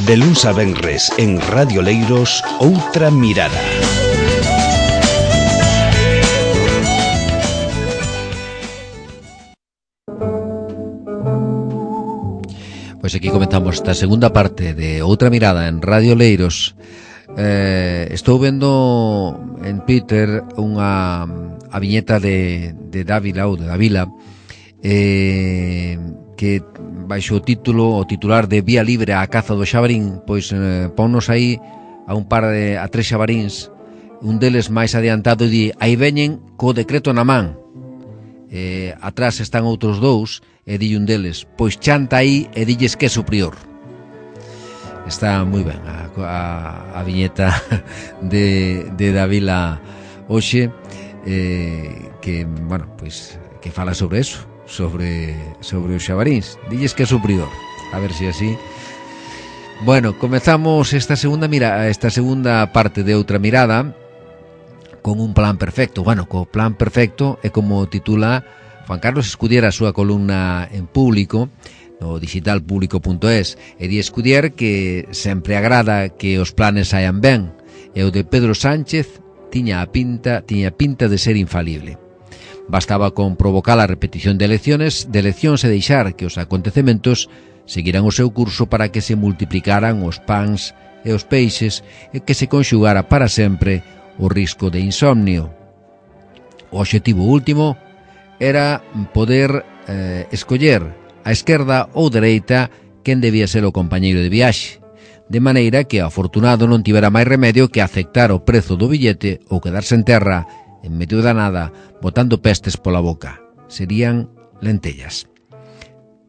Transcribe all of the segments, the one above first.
De luns a venres en Radio Leiros, Outra Mirada. Pois aquí comenzamos esta segunda parte de Outra Mirada en Radio Leiros. Estou vendo en Twitter a viñeta de Dávila ou de Davila, que baixo o titular de Vía Libre á caza do xabarín, pois ponnos aí a tres xabaríns, un deles máis adiantado, e di: aí veñen co decreto na man. Atrás están outros dous, e di un deles: pois chanta aí e dilles que é superior. Está moi ben a viñeta de Davila hoxe, que, bueno, pois que fala sobre eso, sobre os xabaríns. Dilles que é superior, a ver se así. Bueno, comezamos esta segunda parte de Outra Mirada con un plan perfecto. Bueno, co plan perfecto é como titula Juan Carlos Escudier a súa columna en Público, no digitalpublico.es, e di Escudier que sempre agrada que os planes saian ben, e o de Pedro Sánchez tiña pinta de ser infalible. Bastaba con provocar a repetición de eleccións e deixar que os acontecementos seguiran o seu curso para que se multiplicaran os pans e os peixes e que se conxugara para sempre o risco de insomnio. O obxectivo último era poder escoller a esquerda ou dereita quen debía ser o compañeiro de viaxe, de maneira que o afortunado non tivera máis remedio que aceptar o prezo do billete ou quedarse en terra en medio da nada, botando pestes pola boca. Serían lentellas.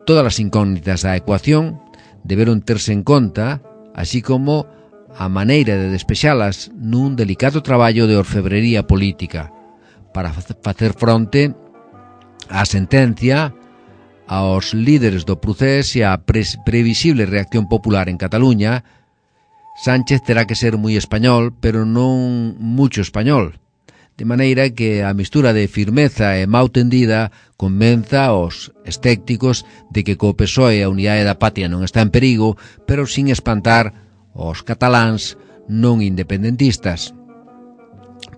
Todas as incógnitas da ecuación deberon terse en conta, así como a maneira de despexalas nun delicado traballo de orfebrería política para facer fronte á sentencia, aos líderes do procés e á previsible reacción popular en Cataluña. Sánchez terá que ser moi español, pero non mucho español, de maneira que a mistura de firmeza e mau tendida convenza aos escépticos de que co PSOE a unidade da patria non está en perigo, pero sin espantar aos cataláns non independentistas.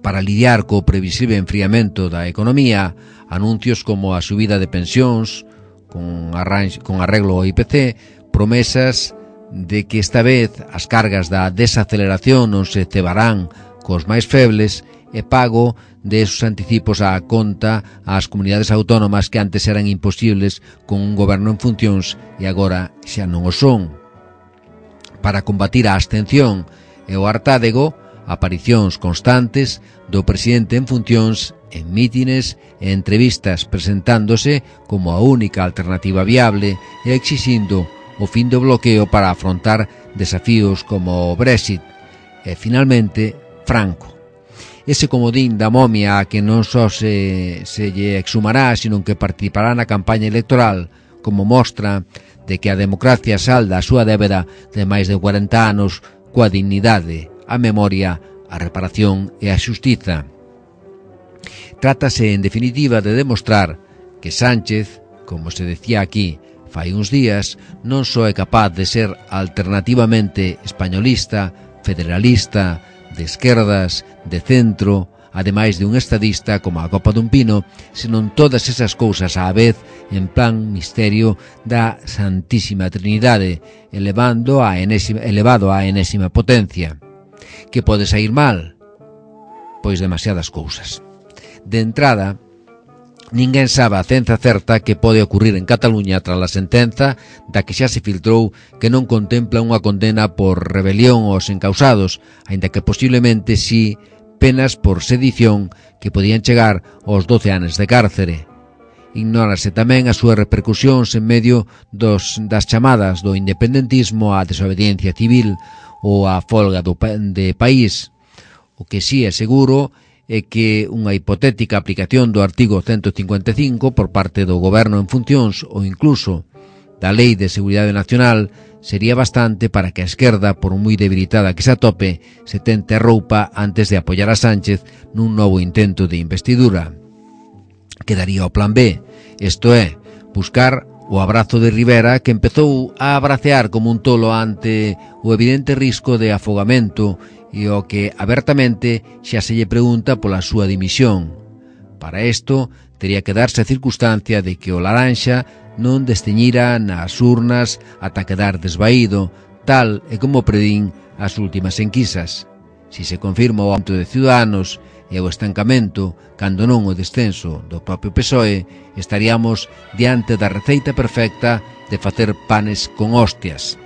Para lidiar co previsible enfriamento da economía, anuncios como a subida de pensións con arreglo ao IPC, promesas de que esta vez as cargas da desaceleración non se cebarán cos máis febles, e pago de esos anticipos á conta ás comunidades autónomas que antes eran imposibles con un goberno en funcións e agora xa non o son. Para combatir a abstención e o hartádego, aparicións constantes do presidente en funcións en mítines e entrevistas, presentándose como a única alternativa viable e exixindo o fin do bloqueo para afrontar desafíos como o Brexit. E, finalmente, Franco. Ese comodín da momia a que non só se lle exhumará, sino que participará na campaña electoral, como mostra de que a democracia salda a súa débeda de máis de 40 anos coa dignidade, a memoria, a reparación e a xustiza. Trátase, en definitiva, de demostrar que Sánchez, como se decía aquí fai uns días, non só é capaz de ser alternativamente españolista, federalista, de esquerdas, de centro, ademais de un estadista como a copa dun pino, senón todas esas cousas á vez en plan misterio da Santísima Trinidade, elevado á enésima potencia. Que pode sair mal? Pois demasiadas cousas. De entrada, ninguén sabe a ciencia certa que pode ocurrir en Cataluña tras a sentenza da que xa se filtrou que non contempla unha condena por rebelión aos encausados, aínda que posiblemente sí penas por sedición que podían chegar aos 12 anos de cárcere. Ignórase tamén as súas repercusións en medio das chamadas do independentismo, á desobediencia civil ou á folga de país. O que sí é seguro é que unha hipotética aplicación do artigo 155 por parte do goberno en funcións ou incluso da Lei de Seguridade Nacional sería bastante para que a esquerda, por moi debilitada que se atope, se tente roupa antes de apoiar a Sánchez nun novo intento de investidura. Quedaría o plan B, isto é, buscar o abrazo de Rivera, que empezou a abracear como un tolo ante o evidente risco de afogamento e o que abertamente xa se lle pregunta pola súa dimisión. Para isto, tería que darse a circunstancia de que o Laranxa non desteñira nas urnas ata quedar desvaído, tal e como predín as últimas enquisas. Si se confirma o aumento de Ciudadanos e o estancamento, cando non o descenso do propio PSOE, estaríamos diante da receita perfecta de facer panes con hostias.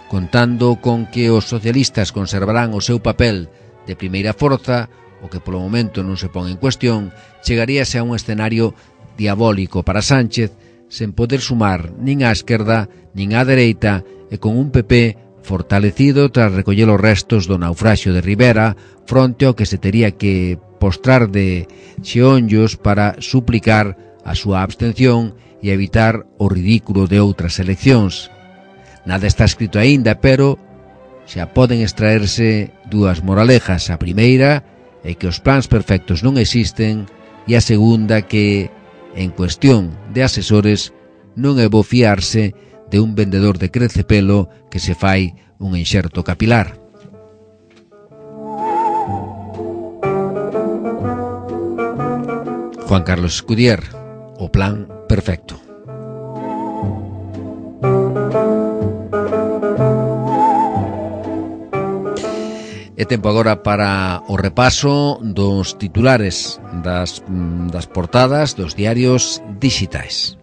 Contando con que os socialistas conservarán o seu papel de primeira forza, o que polo momento non se pon en cuestión, chegaríase a un escenario diabólico para Sánchez, sen poder sumar nin á esquerda nin á dereita e con un PP fortalecido tras recoller os restos do naufraxio de Rivera fronte ao que se tería que postrar de xeonllos para suplicar a súa abstención e evitar o ridículo de outras eleccións. Nada está escrito aínda, pero xa poden extraerse dúas moralejas. A primeira é que os plans perfectos non existen e a segunda que, en cuestión de asesores, non é bo fiarse de un vendedor de crecepelo que se fai un enxerto capilar. Juan Carlos Escudier, o plan perfecto. É tempo agora para o repaso dos titulares das portadas dos diarios digitais.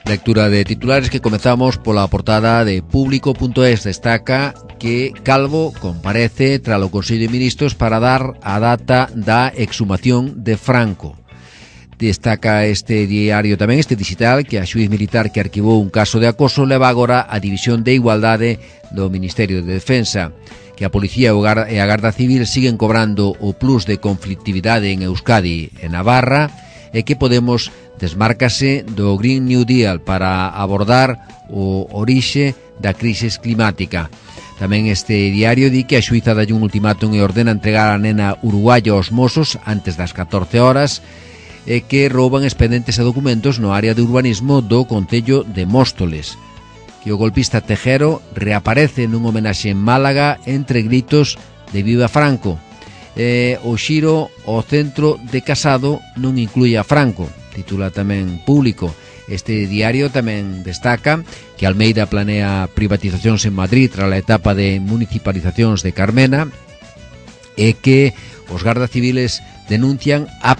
Lectura de titulares que comezamos pola portada de Público.es. Destaca que Calvo comparece tras o Consello de Ministros para dar a data da exhumación de Franco. Destaca este diario tamén, este digital, que a xuíz militar que arquivou un caso de acoso leva agora a División de Igualdade do Ministerio de Defensa, que a Policía e a Garda Civil siguen cobrando o plus de conflictividade en Euskadi e Navarra, e que Podemos desmárcase do Green New Deal para abordar o orixe da crise climática. Tamén este diario di que a xuíza dalle un ultimátum e ordena entregar a nena uruguaya aos Mossos antes das 14 horas e que rouban expedientes e documentos no área de urbanismo do concello de Móstoles. Que o golpista Tejero reaparece nun homenaxe en Málaga entre gritos de Viva Franco. O xiro ao centro de Casado non inclúe a Franco, titula tamén Público. Este diario tamén destaca que Almeida planea privatizacións en Madrid tras a etapa de municipalizacións de Carmena e que os gardas civiles denuncian a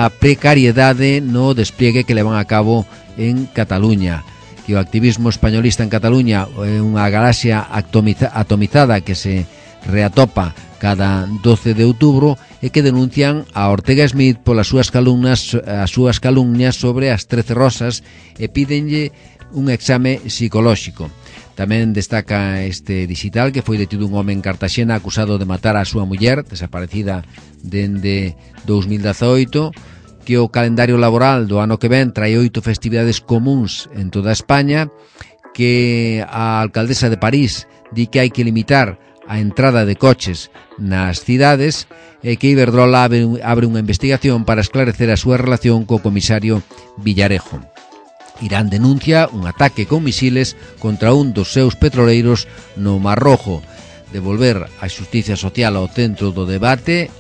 precariedade no despliegue que levan a cabo en Cataluña, que o activismo españolista en Cataluña é unha galaxia atomizada que se reatopa cada 12 de outubro e que denuncian a Ortega Smith polas súas calumnias sobre as 13 rosas e pídenlle un exame psicolóxico. Tamén destaca este digital que foi detido un home en Cartaxena acusado de matar a súa muller, desaparecida dende 2018, que o calendario laboral do ano que ven trae 8 festividades comuns en toda España, que a alcaldesa de París di que hai que limitar a entrada de coches nas cidades e que Iberdrola abre unha investigación para esclarecer a súa relación co comisario Villarejo. Irán denuncia un ataque con misiles contra un dos seus petroleiros no Mar Rojo. Devolver a xustiza social ao centro do debate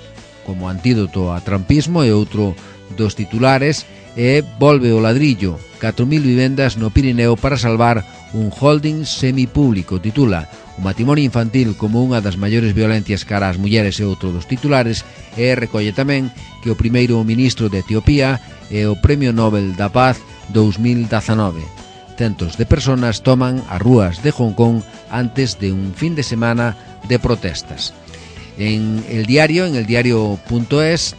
como antídoto a trumpismo e outro dos titulares e volve o ladrillo, 4.000 vivendas no Pirineo para salvar un holding semipúblico, titula. O matrimonio infantil como unha das maiores violencias cara ás mulleres e outro dos titulares, e recolle tamén que o primeiro ministro de Etiopía é o Premio Nobel da Paz 2019. Centos de personas toman as rúas de Hong Kong antes de un fin de semana de protestas. En el diario.es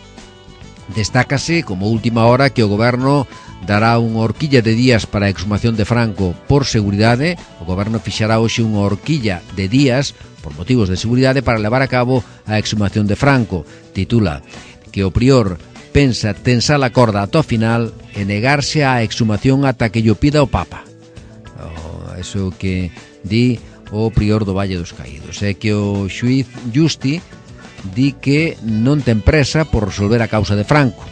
destácase como última hora que o goberno dará unha horquilla de días para a exhumación de Franco por seguridade. O goberno fixará hoxe unha horquilla de días por motivos de seguridade para levar a cabo a exhumación de Franco. Titula que o prior pensa tensar a corda ata o final e negarse á exhumación ata que llo pida o Papa. Eso que di o prior do Valle dos Caídos. É que o xuíz Justi di que non ten presa por resolver a causa de Franco.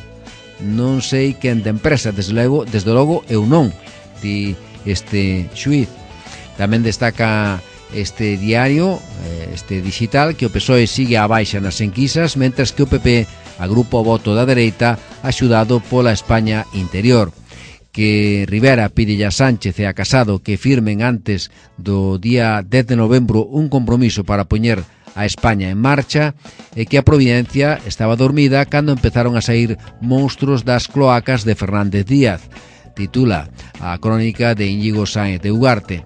Non sei quen ten presa, desde logo eu non, di este xuíz. Tamén destaca este diario, este digital, que o PSOE sigue a baixa nas enquisas, mentres que o PP agrupa o voto da dereita axudado pola España interior. Que Rivera pide a Sánchez e a Casado que firmen antes do día 10 de novembro un compromiso para poñer a España en marcha, e que a Providencia estaba dormida cando empezaron a sair monstruos das cloacas de Fernández Díaz, titula a crónica de Íñigo Sáenz de Ugarte.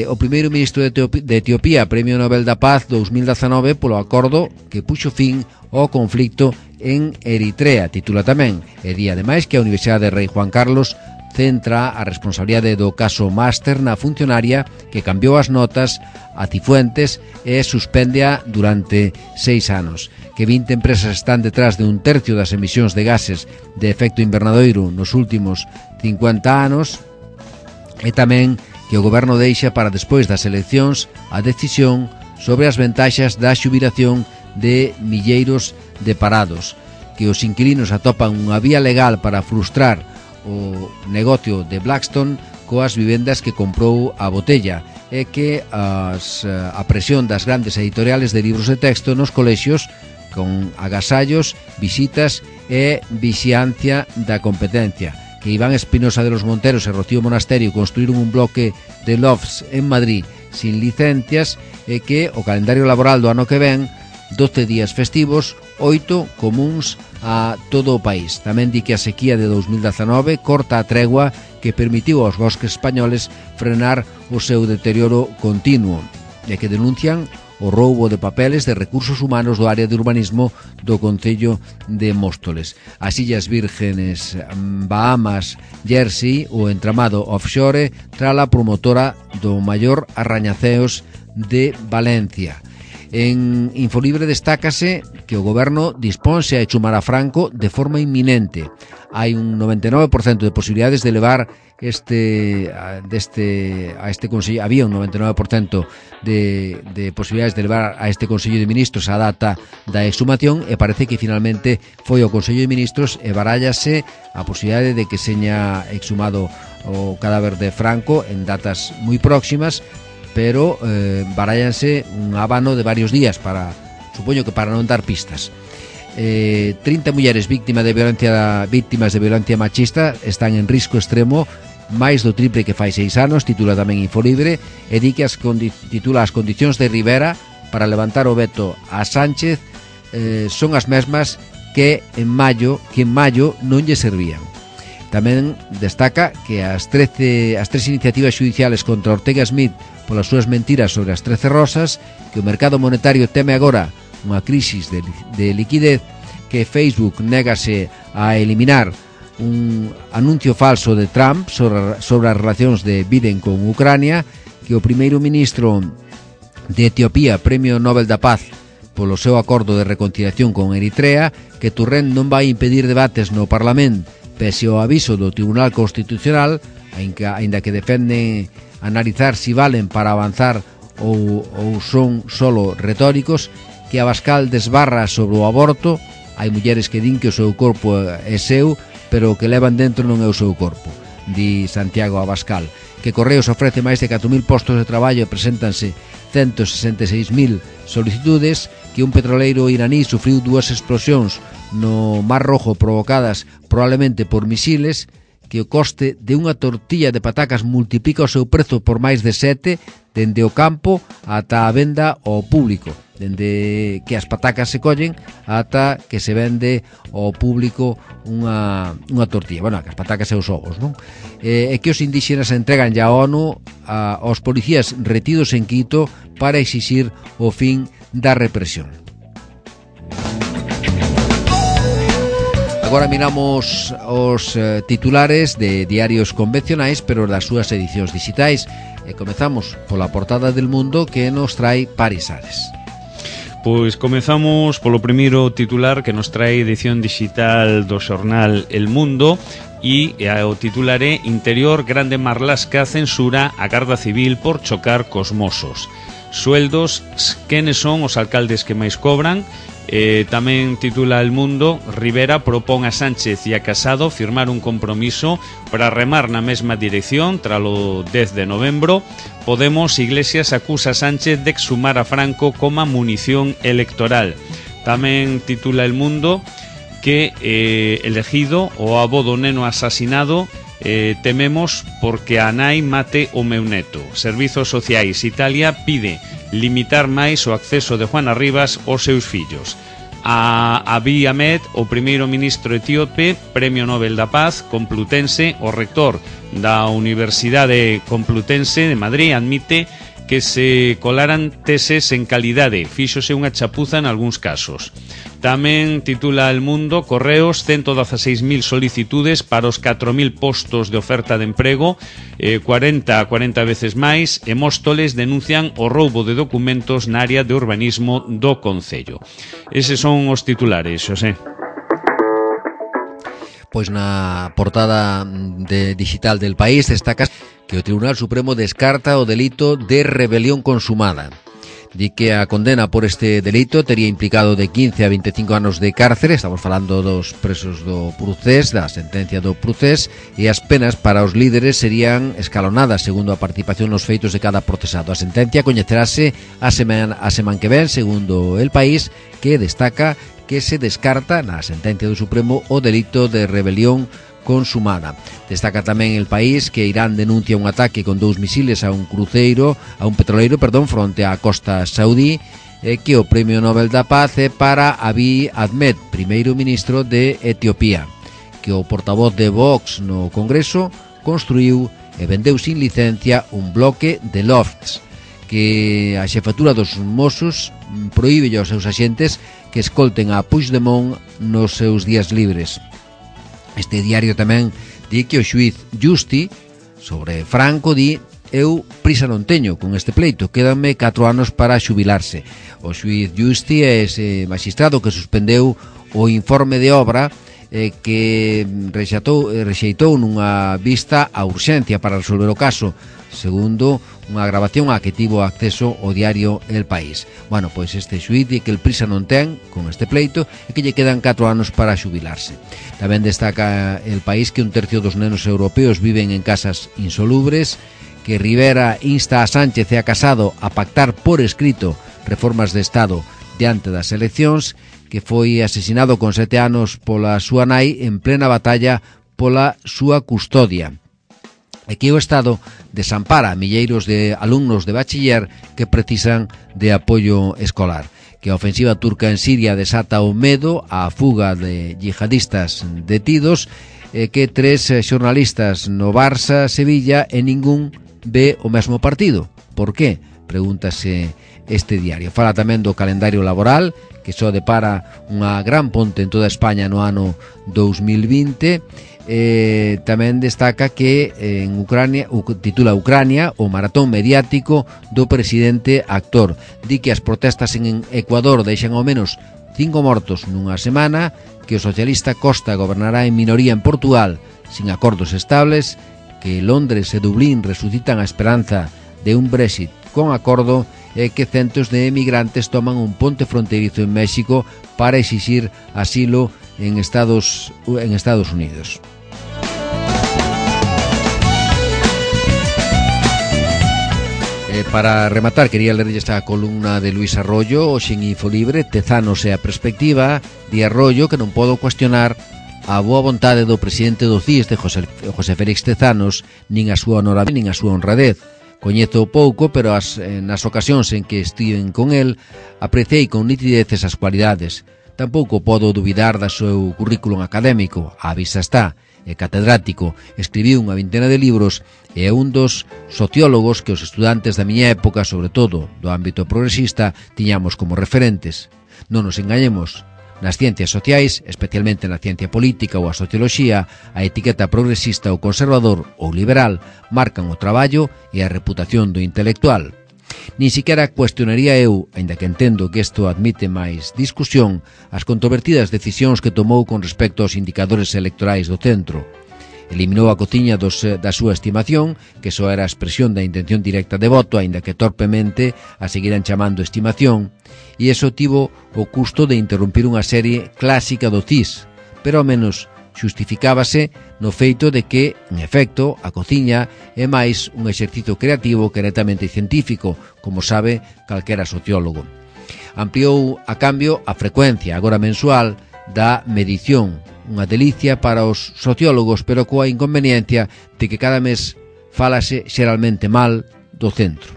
O primeiro ministro de Etiopía, Premio Nobel da Paz 2019 polo acordo que puxo fin ao conflicto en Eritrea, titula tamén. E di ademais que a Universidade Rei Juan Carlos centra a responsabilidade do caso Máster na funcionaria que cambiou as notas a Cifuentes e suspéndea durante 6 anos. Que 20 empresas están detrás de un tercio das emisións de gases de efecto invernadoiro nos últimos 50 anos, e tamén que o goberno deixa para despois das eleccións a decisión sobre as ventaxas da xubilación de milleiros de parados, que os inquilinos atopan unha vía legal para frustrar o negocio de Blackstone coas vivendas que comprou a Botella, e que a presión das grandes editoriales de libros de texto nos colexios con agasallos, visitas e vixiancia da competencia. Que Iván Espinosa de los Monteros e Rocío Monasterio construíron un bloque de lofts en Madrid sin licencias, e que o calendario laboral do ano que ven 12 días festivos, 8 comuns a todo o país. Tamén di que a sequía de 2019 corta a tregua que permitiu aos bosques españoles frenar o seu deterioro continuo, e que denuncian o roubo de papeles de recursos humanos do área de urbanismo do Concello de Móstoles. As Illas Vírgenes, Bahamas, Jersey, o entramado offshore trala promotora do maior arrañaceos de Valencia. En Infolibre destácase que o goberno disponse a echumar a Franco de forma inminente. Hai un 99% de posibilidades de levar a este Consello. Había un 99% de posibilidades de levar a este Consello de Ministros a data da exhumación, e parece que finalmente foi o Consello de Ministros e barállase a posibilidade de que seña exhumado o cadáver de Franco en datas moi próximas, pero barállanse un abano de varios días para, supoño que para non dar pistas. 30 mulleres vítimas de violencia machista están en risco extremo, máis do triple que fai 6 anos, titula tamén Infolibre, e di que titula as condicións de Rivera para levantar o veto a Sánchez son as mesmas que en maio non lle servían. Tamén destaca que as 13 iniciativas judiciales contra Ortega Smith polas súas mentiras sobre as 13 rosas, que o mercado monetario teme agora unha crisis de liquidez, que Facebook négase a eliminar un anuncio falso de Trump sobre as relacións de Biden con Ucrania, que o primeiro ministro de Etiopía, Premio Nobel da Paz polo seu acordo de reconciliación con Eritrea, que Turren non vai impedir debates no Parlamento pese ao aviso do Tribunal Constitucional, aínda que defenden analizar si valen para avanzar ou son solo retóricos, que Abascal desbarra sobre o aborto. Hai mulleres que din que o seu corpo é seu, pero o que levan dentro non é o seu corpo, di Santiago Abascal. Que Correos ofrece máis de 4.000 postos de traballo e preséntanse 166.000 solicitudes, que un petroleiro iraní sufriu 2 explosións no Mar Rojo provocadas probablemente por misiles, que o coste de unha tortilla de patacas multiplica o seu prezo por máis de 7, dende o campo ata a venda ao público, dende que as patacas se collen ata que se vende ao público unha tortilla. Bueno, que as patacas e os ovos, non? E que os indígenas entregan ya a ONU aos policías retidos en Quito para exixir o fin da represión. Agora miramos os titulares de diarios convencionais, pero das súas edicións digitais, e comezamos pola portada del Mundo, que nos trae Paris Ares. Pois comezamos polo primeiro titular que nos trae edición digital do xornal El Mundo e o titular é Interior Grande Marlasca censura a Garda Civil por chocar cos mozos. Sueldos, quenes son os alcaldes que máis cobran? Tamén titula El Mundo, Rivera propón a Sánchez e a Casado firmar un compromiso para remar na mesma dirección tralo 10 de novembro. Podemos, Iglesias acusa a Sánchez de exhumar a Franco como munición electoral. Tamén titula El Mundo que elegido o avó do neno asasinado tememos porque a nai mate o meu neto. Servizos Sociais Italia pide limitar máis o acceso de Juana Rivas aos seus fillos. A Abiy Ahmed, o primeiro ministro etíope, Premio Nobel da Paz, Complutense, o rector da Universidade Complutense de Madrid admite que se colaran teses en calidade, fíxose unha chapuza en algúns casos. Tamén titula El Mundo, Correos, 116.000 solicitudes para os 4.000 postos de oferta de emprego, 40 veces máis, e Móstoles denuncian o roubo de documentos na área de urbanismo do Concello. Eses son os titulares, Xosé. Pois na portada digital del País destaca que o Tribunal Supremo descarta o delito de rebelión consumada. Di que a condena por este delito tería implicado de 15 a 25 anos de cárcere, estamos falando dos presos do Procés, da sentencia do Procés, e as penas para os líderes serían escalonadas segundo a participación nos feitos de cada procesado. A sentencia coñecerase a semana que ven, segundo El País, que destaca que se descarta na sentencia do Supremo o delito de rebelión consumada. Destaca tamén El País que Irán denuncia un ataque con 2 misiles a un petroleiro, fronte á costa saudí, que o Premio Nobel da Paz é para Abiy Ahmed, primeiro ministro de Etiopía, que o portavoz de Vox no Congreso construiu e vendeu sin licencia un bloque de lofts, que a xefatura dos Mossos prohíbe aos seus axentes que escolten a Puigdemont nos seus días libres. Este diario tamén di que o xuiz Justi sobre Franco di eu prisa non teño con este pleito, quédanme 4 anos para xubilarse. O xuiz Justi é ese magistrado que suspendeu o informe de obra que rexeitou nunha vista a urxencia para resolver o caso, segundo unha grabación a que tivo acceso o diario El País. Bueno, pois este xuiz di que el prisa non ten con este pleito e que lle quedan 4 anos para xubilarse. Tamén destaca El País que 1/3 dos nenos europeos viven en casas insolubres, que Rivera insta a Sánchez e a Casado a pactar por escrito reformas de Estado diante das eleccións, que foi asesinado con 7 anos pola súa nai en plena batalla pola súa custodia. E que o Estado desampara a milleiros de alumnos de bachiller que precisan de apoio escolar. Que a ofensiva turca en Siria desata o medo á fuga de yihadistas detidos, que 3 xornalistas no Barça, Sevilla e ningún ve o mesmo partido. Por qué? Pregúntase este diario. Fala tamén do calendario laboral, que só depara unha gran ponte en toda España no ano 2020. Tamén destaca que en Ucrania, titula Ucrania, o maratón mediático do presidente actor. Di que as protestas en Ecuador deixan ao menos 5 mortos nunha semana, que o socialista Costa gobernará en minoría en Portugal sin acordos estables, que Londres e Dublín resucitan a esperanza de un Brexit con acordo, e que centos de emigrantes toman un ponte fronterizo en México para exixir asilo en Estados Unidos. Para rematar, quería ler esta columna de Luis Arroyo, hoxe en Infolibre, Tezanos e a perspectiva, de Arroyo, que non podo cuestionar a boa vontade do presidente do CIS, de José Félix Tezanos, nin a súa honorabilidade, nin a súa honradez. Coñezo pouco, pero nas ocasións en que estiven con el, apreciei con nitidez esas cualidades. Tampouco podo dubidar da seu currículum académico, á vista está, é catedrático, escribiu unha vintena de libros e é un dos sociólogos que os estudantes da miña época, sobre todo do ámbito progresista, tiñamos como referentes. Non nos engañemos, nas ciencias sociais, especialmente na ciencia política ou a socioloxía, a etiqueta progresista ou conservador ou liberal marcan o traballo e a reputación do intelectual. Nin siquiera cuestionaría eu, aínda que entendo que isto admite máis discusión, as controvertidas decisións que tomou con respecto aos indicadores electorais do centro. Eliminou a cociña da súa estimación, que só era a expresión da intención directa de voto, aínda que torpemente a seguiran chamando estimación, e iso tivo o custo de interrumpir unha serie clásica do CIS, pero ao menos xustificábase no feito de que, en efecto, a cociña é máis un exercicio creativo que netamente científico, como sabe calquera sociólogo. Ampliou, a cambio, a frecuencia, agora mensual, da medición, unha delicia para os sociólogos, pero coa inconveniencia de que cada mes fálase xeralmente mal do centro.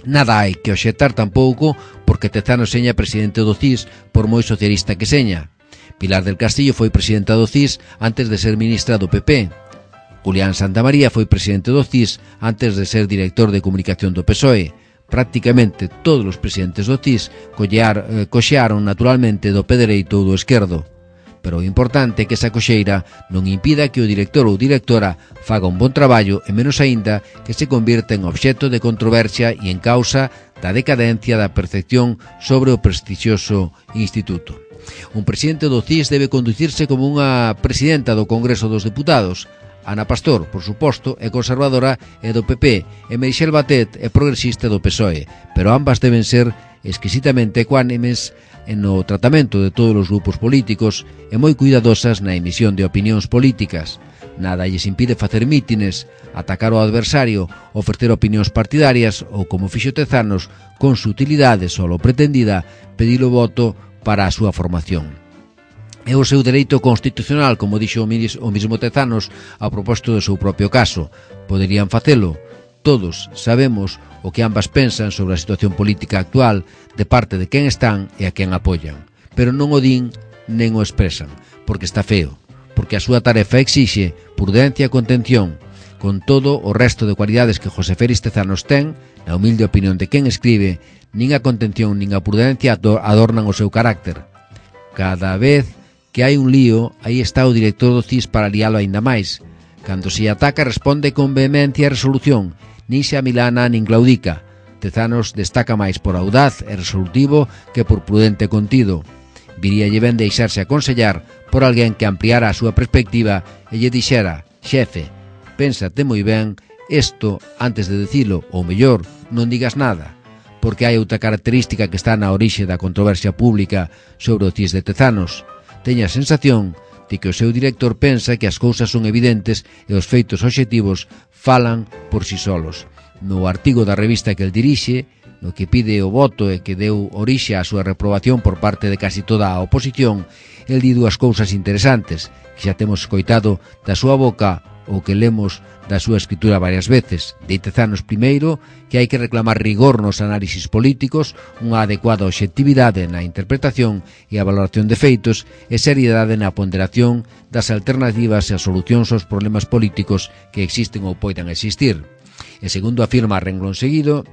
Nada hai que obxectar tampouco porque Tezanos seña presidente do CIS por moi socialista que seña. Pilar del Castillo foi presidenta do CIS antes de ser ministra do PP. Julián Santamaría foi presidente do CIS antes de ser director de comunicación do PSOE. Prácticamente todos os presidentes do CIS coxearon naturalmente do pé dereito ou do esquerdo. Pero o importante é que esa coxeira non impida que o director ou directora faga un bon traballo e menos aínda que se convirta en obxecto de controversia e en causa da decadencia da percepción sobre o prestixioso instituto. Un presidente do CIS debe conducirse como unha presidenta do Congreso dos Deputados. Ana Pastor, por suposto, é conservadora e do PP, e Meritxell Batet é progresista do PSOE, pero ambas deben ser exquisitamente ecuánimes no tratamento de todos os grupos políticos e moi cuidadosas na emisión de opinións políticas. Nada lles impide facer mítines, atacar ao adversario, ofrecer opinións partidarias ou, como fixo Tezanos, con sutilidade solo pretendida, pedir o voto para a súa formación. É o seu dereito constitucional, como dixo o mismo Tezanos a propósito do seu propio caso. Poderían facelo. Todos sabemos o que ambas pensan sobre a situación política actual de parte de quen están e a quen apoian, pero non o din nen o expresan, porque está feo, porque a súa tarefa exixe prudencia e contención, con todo o resto de cualidades que José Félix Tezanos ten, na humilde opinión de quen escribe, nin a contención nin a prudencia adornan o seu carácter. Cada vez que hai un lío, aí está o director do CIS para lialo aínda máis. Cando se ataca responde con vehemencia e resolución, nin se amilana nin claudica. Tezanos destaca máis por audaz e resolutivo que por prudente e contido. Viríalle ben deixarse aconsellar por alguén que ampliara a súa perspectiva e lle dixera: xefe, pénsate moi ben isto antes de dicilo, ou mellor, non digas nada, porque hai outra característica que está na orixe da controversia pública sobre o CIS de Tezanos. Teña a sensación de que o seu director pensa que as cousas son evidentes e os feitos obxectivos falan por si solos. No artigo da revista que el dirixe, no que pide o voto e que deu orixe á súa reprobación por parte de casi toda a oposición, el di dúas cousas interesantes que xa temos escoitado da súa boca ou que lemos da súa escritura varias veces. De Tezanos primeiro que hai que reclamar rigor nos análisis políticos, unha adecuada obxectividade na interpretación e a valoración de feitos e seriedade na ponderación das alternativas e as solucións aos problemas políticos que existen ou poidan existir. E segundo afirma a renglón seguido,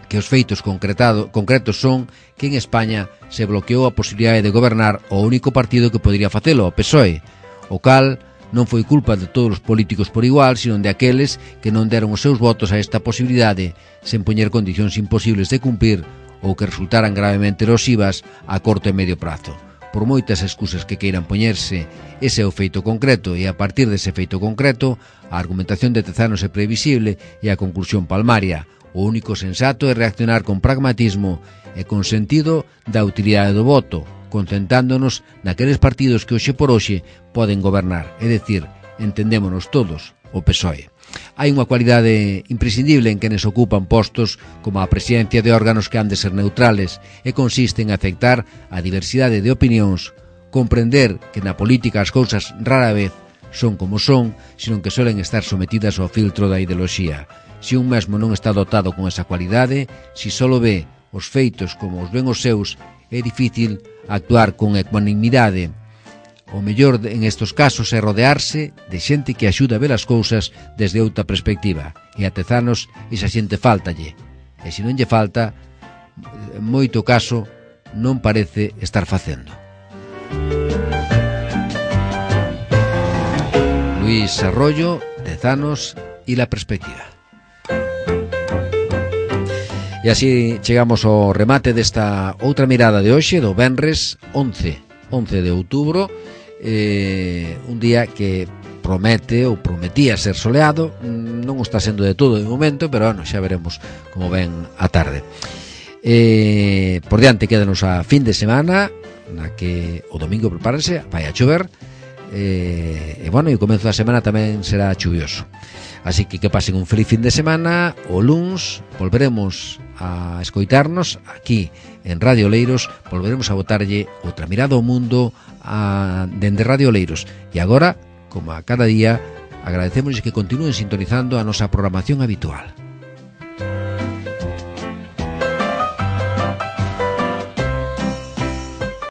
que os feitos concretos son que en España se bloqueou a posibilidade de gobernar o único partido que podería facelo, o PSOE, o cal non foi culpa de todos os políticos por igual, sino de aqueles que non deron os seus votos a esta posibilidade sen poñer condicións imposibles de cumprir ou que resultaran gravemente erosivas a corto e medio prazo. Por moitas excusas que queiran poñerse, ese é o feito concreto e a partir dese feito concreto, a argumentación de Tezanos é previsible e a conclusión palmaria. O único sensato é reaccionar con pragmatismo e con sentido da utilidade do voto, concentrándonos naqueles partidos que hoxe por hoxe poden gobernar, é dicir, entendémonos todos, o PSOE. Hai unha cualidade imprescindible en quenes ocupan postos como a presidencia de órganos que han de ser neutrales e consiste en aceptar a diversidade de opinións, comprender que na política as cousas rara vez son como son, sino que suelen estar sometidas ao filtro da ideoloxía. Se un mesmo non está dotado con esa cualidade, se solo ve os feitos como os ven os seus, é difícil actuar con ecuanimidade. O mellor en estos casos é rodearse de xente que axuda a ver as cousas desde outra perspectiva. E a Tezanos esa xente fáltalle. E se non lle falta, en moito caso non parece estar facendo. Luis Arroyo, Tezanos y la perspectiva. E así chegamos ao remate desta outra mirada de hoxe, do venres 11 de outubro, un día que promete ou prometía ser soleado. Non o está sendo de todo de momento, pero bueno, xa veremos como ven a tarde. Por diante quédanos a fin de semana, na que o domingo prepárense, vai a chover, e bueno, e o comezo da semana tamén será chuvioso. Así que pasen un feliz fin de semana. O luns volveremos a escoitarnos aquí en Radio Oleiros, volveremos a botarlle outra mirada ao mundo dende Radio Oleiros. E agora, como a cada día, agradecemos que continúen sintonizando a nosa programación habitual.